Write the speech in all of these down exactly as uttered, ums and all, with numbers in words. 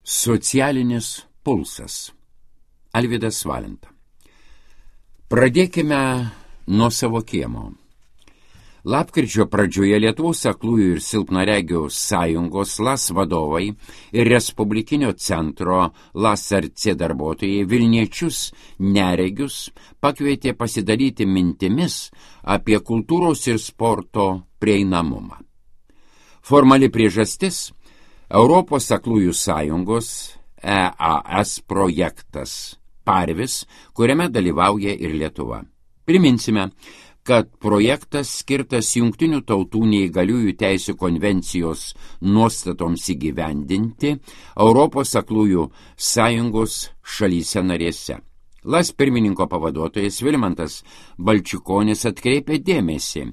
Socialinis pulsas. Alvydas Valenta. Pradėkime nuo savo kiemo. Lapkričio pradžioje Lietuvos aklųjų ir silpnaregių sąjungos LAS vadovai ir Respublikinio centro LAS R C darbuotojai Vilniečius neregius pakvietė pasidalyti mintimis apie kultūros ir sporto prieinamumą. Formali priežastis – Europos aklųjų sąjungos E A S projektas Parvis, kuriame dalyvauja ir Lietuva. Priminsime, kad projektas skirtas Jungtinių tautų neįgaliųjų teisių konvencijos nuostatoms įgyvendinti Europos aklųjų sąjungos šalyse narėse. LAS pirmininko pavaduotojas Vilmantas Balčikonis atkreipė dėmesį,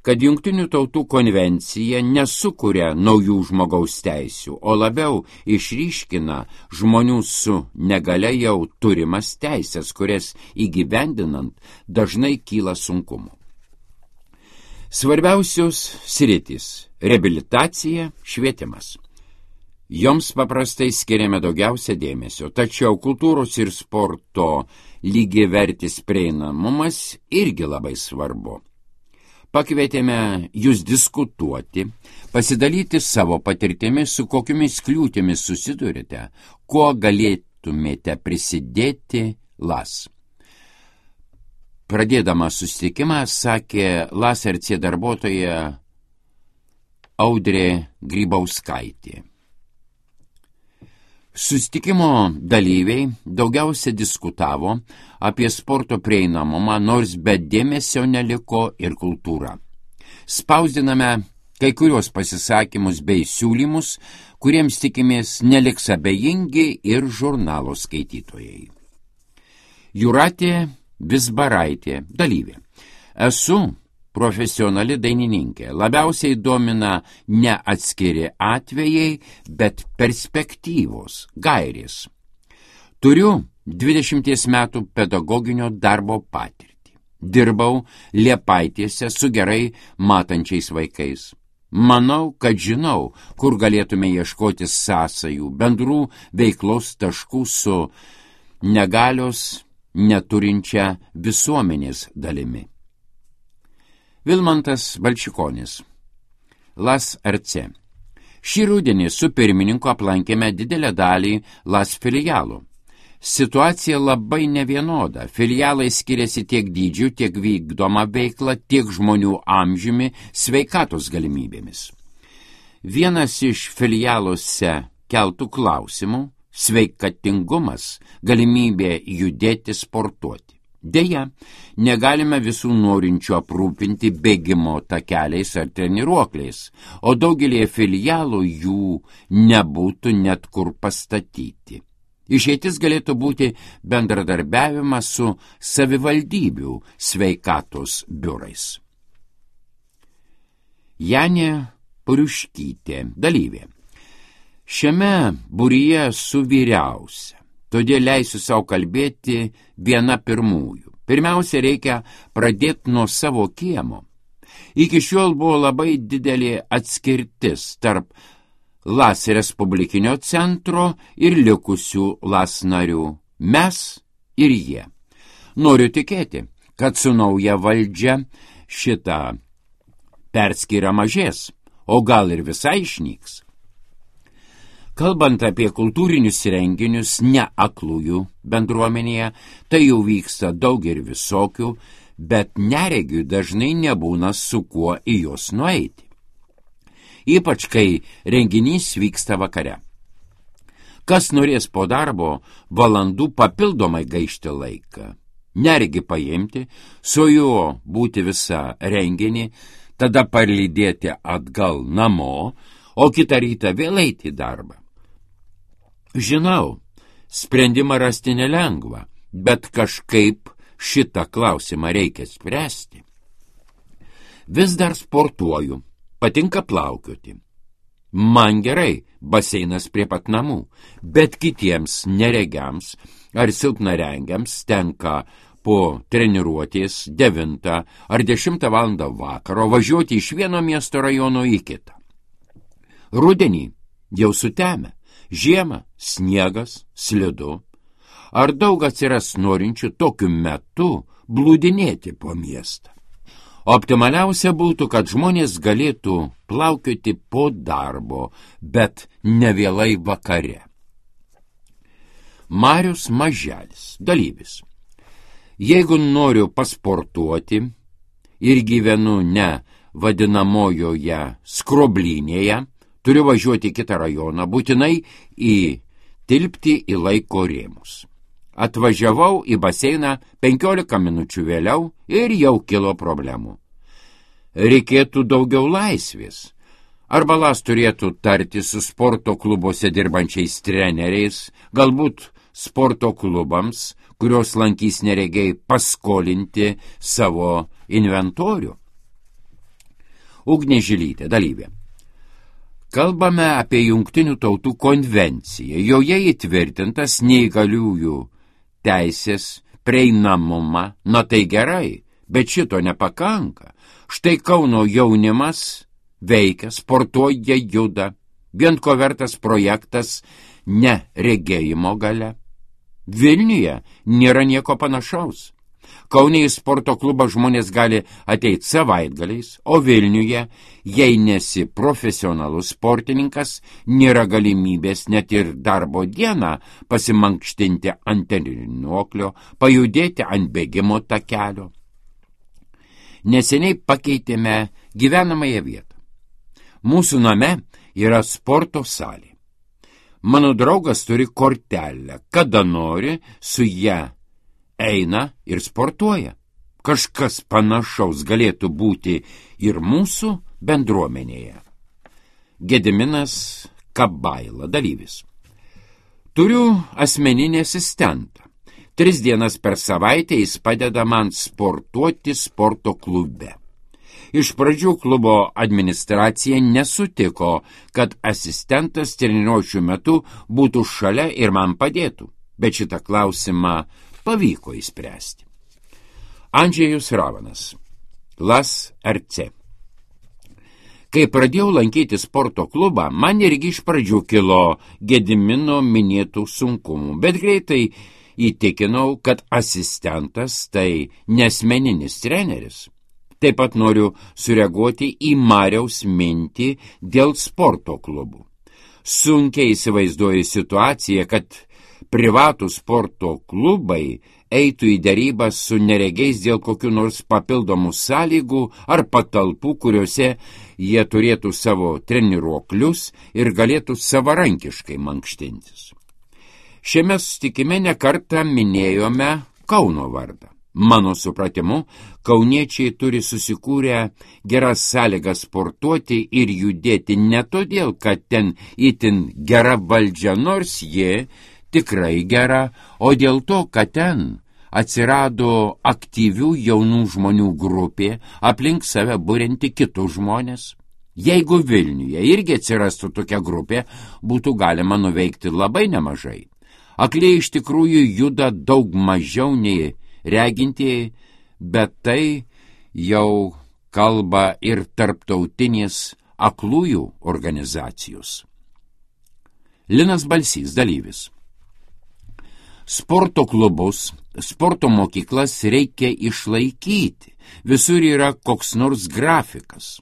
kad Jungtinių tautų konvencija nesukuria naujų žmogaus teisių, o labiau išryškina žmonių su negalia jau turimas teisės, kurias įgyvendinant dažnai kyla sunkumų. Svarbiausios sritys – reabilitacija, švietimas. Joms paprastai skiriame daugiausia dėmesio, tačiau kultūros ir sporto lygiavertis prieinamumas irgi labai svarbu. Pakvietėme jūs diskutuoti, pasidalyti savo patirtimi, su kokiomis kliūtimis susidurite, kuo galėtumėte prisidėti LAS. Pradėdama susitikimą, sakė LAS R C darbuotoja Audrė Grybauskaitė. Susitikimo dalyviai daugiausia diskutavo apie sporto prieinamumą, nors be dėmesio neliko ir kultūra. Spausdiname kai kurios pasisakymus bei siūlymus, kuriems tikimės neliks abejingi ir žurnalo skaitytojai. Jūratė Vizbaraitė, dalyvė. Esu profesionali dainininkė. Labiausiai domina ne atskiri atvejai, bet perspektyvos, gairės. Turiu dvidešimties metų pedagoginio darbo patirtį. Dirbau Liepaitėse su gerai matančiais vaikais. Manau, kad žinau, kur galėtume ieškoti sąsajų, bendrų veiklos taškų su negalios neturinčia visuomenės dalimi. Vilmantas Balčikonis, LAS R C. Šį rudenį su pirmininku aplankėme didelę dalį LAS filialų. Situacija labai nevienoda. Filialai skiriasi tiek dydžiu, tiek vykdoma veikla, tiek žmonių amžiumi, sveikatos galimybėmis. Vienas iš filialuose keltų klausimų – sveikatingumas, galimybė judėti, sportuoti. Deja, negalime visų norinčių aprūpinti bėgimo takeliais ar treniruokliais, o daugelį filialų jų nebūtų net kur pastatyti. Išeitis galėtų būti bendradarbiavimas su savivaldybių sveikatos biurais. Janė Puriuškytė, dalyvė. Šiame būryje esu vyriausia. Todėl leisiu savo kalbėti viena pirmųjų. Pirmiausia, reikia pradėti nuo savo kiemo. Iki šiol buvo labai didelė atskirtis tarp LAS Respublikinio centro ir likusių LAS narių. Mes ir jie. Noriu tikėti, kad su nauja valdžia šita perskyra mažės, o gal ir visai išnyks. Kalbant apie kultūrinius renginius ne aklųjų bendruomenėje, tai jau vyksta daug ir visokių, bet neregių dažnai nebūna su kuo į juos nueiti. Ypač, kai renginys vyksta vakare. Kas norės po darbo valandų papildomai gaišti laiką, neregi paimti, su juo būti visą renginį, tada parlydėti atgal namo, o kitą rytą vėl eiti į darbą. Žinau, sprendimą rasti nelengva, bet kažkaip šitą klausimą reikia spręsti. Vis dar sportuoju, patinka plaukioti. Man gerai, baseinas prie pat namų, bet kitiems neregiams ar silpnaregiams tenka po treniruotės devintą ar dešimtą valandą vakaro važiuoti iš vieno miesto rajono į kitą. Rudenį jau sutemę, Žiemą sniegas, slidu. Ar daug atsiras norinčių tokiu metu blūdinėti po miestą? Optimaliausia būtų, kad žmonės galėtų plaukioti po darbo, bet ne vėlai vakare. Marius Maželis, dalyvis. Jeigu noriu pasportuoti ir gyvenu ne vadinamojoje skroblynėje, turiu važiuoti į kitą rajoną, būtinai įtilpti į laiko rėmus. Atvažiavau į baseiną penkiolika minučių vėliau ir jau kilo problemų. Reikėtų daugiau laisvės. Arba las turėtų tarti su sporto klubuose dirbančiais treneriais, galbūt sporto klubams, kurios lankys neregiai, paskolinti savo inventorių. Ugnė Žilytė, dalyvė. Kalbame apie Jungtinių tautų konvenciją. Joje įtvirtintas neįgaliųjų teisės prieinamumą. Na tai gerai, bet šito nepakanka. Štai Kauno jaunimas veikia, sportuoja, juda. Vien ko vertas projektas ne regėjimo gale. Vilniuje nėra nieko panašaus. Kaune į sporto klubą žmonės gali ateiti savaitgaliais, o Vilniuje, jei nesi profesionalus sportininkas, nėra galimybės net ir darbo dieną pasimankštinti ant treniruoklio, pajudėti ant bėgimo takelio. Neseniai pakeitėme gyvenamąją vietą. Mūsų name yra sporto salė. Mano draugas turi kortelę, kada nori, su ją eina ir sportuoja. Kažkas panašaus galėtų būti ir mūsų bendruomenėje. Gediminas Kabaila, dalyvis. Turiu asmeninį asistentą. Tris dienas per savaitę jis padeda man sportuoti sporto klube. Iš pradžių klubo administracija nesutiko, kad asistentas treniruočių metu būtų šalia ir man padėtų, bet šitą klausimą pavyko įspręsti. Andžejus Ravanas, Las R C. Kai pradėjau lankyti sporto klubą, man irgi iš pradžių kilo Gedimino minėtų sunkumų, bet greitai įtikinau, kad asistentas tai nesmeninis treneris. Taip pat noriu sureaguoti į Mariaus mintį dėl sporto klubų. Sunkiai įsivaizduoju situaciją, kad privatų sporto klubai eitų į derybas su neregiais dėl kokių nors papildomų sąlygų ar patalpų, kuriuose jie turėtų savo treniruoklius ir galėtų savarankiškai mankštintis. Šiame susitikime nekartą minėjome Kauno vardą. Mano supratimu, kauniečiai turi susikūrę geras sąlygas sportuoti ir judėti ne todėl, kad ten itin gera valdžia, nors ji tikrai gera, o dėl to, kad ten atsirado aktyvių jaunų žmonių grupė, aplink save burianti kitus žmonės. Jeigu Vilniuje irgi atsirastų tokia grupė, būtų galima nuveikti labai nemažai. Akliai iš tikrųjų juda daug mažiau nei regintieji, bet tai jau kalba ir tarptautinės aklųjų organizacijos. Linas Balsys, dalyvis. Sporto klubus, sporto mokyklas reikia išlaikyti. Visur yra koks nors grafikas.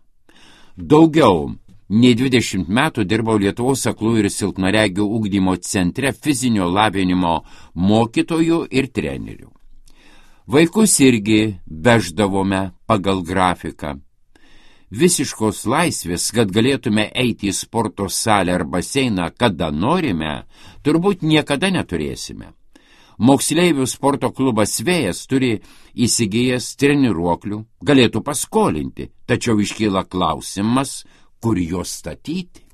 Daugiau nei dvidešimt metų dirbau Lietuvos aklųjų ir silpnaregių ugdymo centre fizinio lavinimo mokytojų ir trenerių. Vaikus irgi veždavome pagal grafiką. Visiškos laisvės, kad galėtume eiti į sporto salę ar baseiną, kada norime, turbūt niekada neturėsime. Moksleivių sporto klubas Vėjas turi įsigijęs treniruoklių, galėtų paskolinti, tačiau iškyla klausimas, kur juos statyti.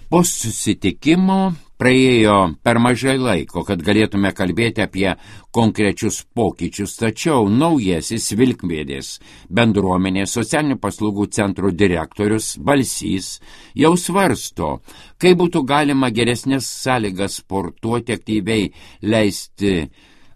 Po susitikimo praėjo per mažai laiko, kad galėtume kalbėti apie konkrečius pokyčius, tačiau naujasis Vilkmėdės bendruomenės socialinių paslaugų centro direktorius Balsys jau svarsto, kaip būtų galima geresnės sąlygas sportuoti, aktyviai leisti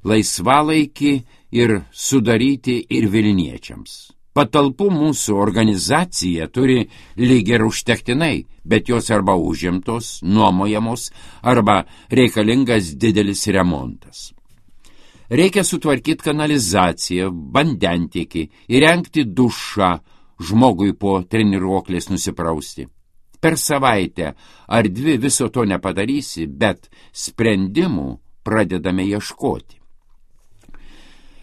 laisvalaikį ir sudaryti ir vilniečiams. Patalpų mūsų organizacija turi lyg ir užtektinai, bet jos arba užimtos, nuomojamos, arba reikalingas didelis remontas. Reikia sutvarkyti kanalizaciją, vandentiekį, įrengti dušą, žmogui po treniruoklės nusiprausti. Per savaitę ar dvi viso to nepadarysi, bet sprendimų pradedame ieškoti.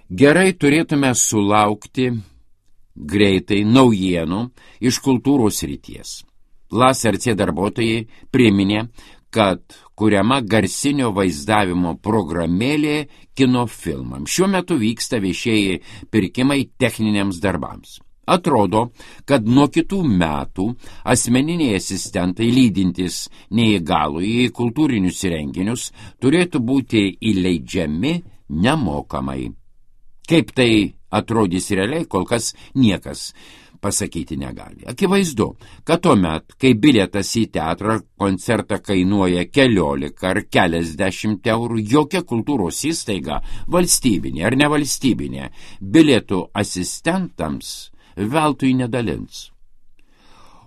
Gerai turėtume sulaukti greitai naujienų iš kultūros srities. L A S R C darbuotojai priminė, kad kuriama garsinio vaizdavimo programėlė kinofilmams. Šiuo metu vyksta viešieji pirkimai techniniams darbams. Atrodo, kad nuo kitų metų asmeniniai asistentai lydintys neįgalųjį į kultūrinius renginius turėtų būti įleidžiami nemokamai. Kaip tai atrodys realiai, kol kas niekas pasakyti negali. Akivaizdu, kad tuomet, kai bilietas į teatrą koncertą kainuoja keliolika ar keliasdešimt eurų, jokia kultūros įstaiga, valstybinė ar nevalstybinė, bilietų asistentams veltui nedalins.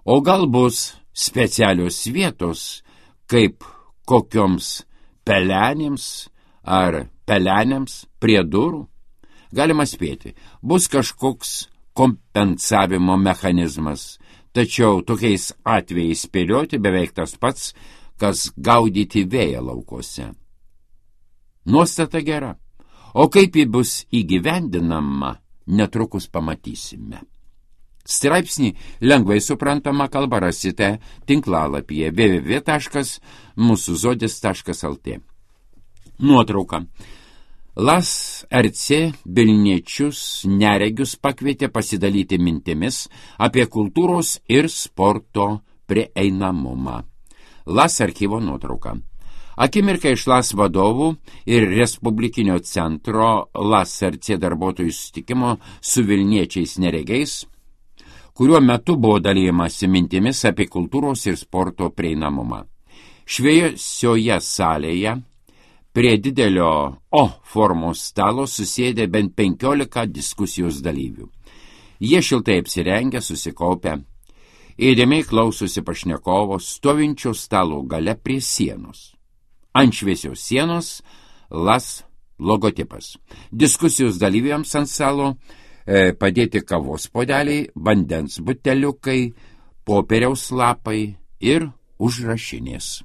O gal bus specialios vietos, kaip kokioms pelenėms ar pelenėms prie durų? Galima spėti, bus kažkoks kompensavimo mechanizmas, tačiau tokiais atvejais spėlioti beveik tas pats, kas gaudyti vėją laukose. Nuostata gera, o kaip ji bus įgyvendinama, netrukus pamatysime. Straipsnį lengvai suprantama kalba rasite tinklalapyje w w w taškas mūsų zodis taškas l t. Nuotrauka. L A S R C Vilniečius neregius pakvietė pasidalyti mintimis apie kultūros ir sporto prieinamumą. L A S archyvo nuotrauka. Akimirka iš L A S vadovų ir Respublikinio centro L A S R C darbuotojų susitikimo su Vilniečiais neregiais, kuriuo metu buvo dalijamasi mintimis apie kultūros ir sporto prieinamumą. Šviesioje salėje prie didelio O formos stalo susėdė bent penkiolika diskusijos dalyvių. Jie šiltai apsirengę, susikaupę, įdėmiai klausosi pašnekovo stovinčio stalo gale prie sienos. Ant šviesios sienos L A S logotipas. Diskusijos dalyviams ant stalo e, padėti kavos puodeliai, vandens buteliukai, popieriaus lapai ir užrašinės.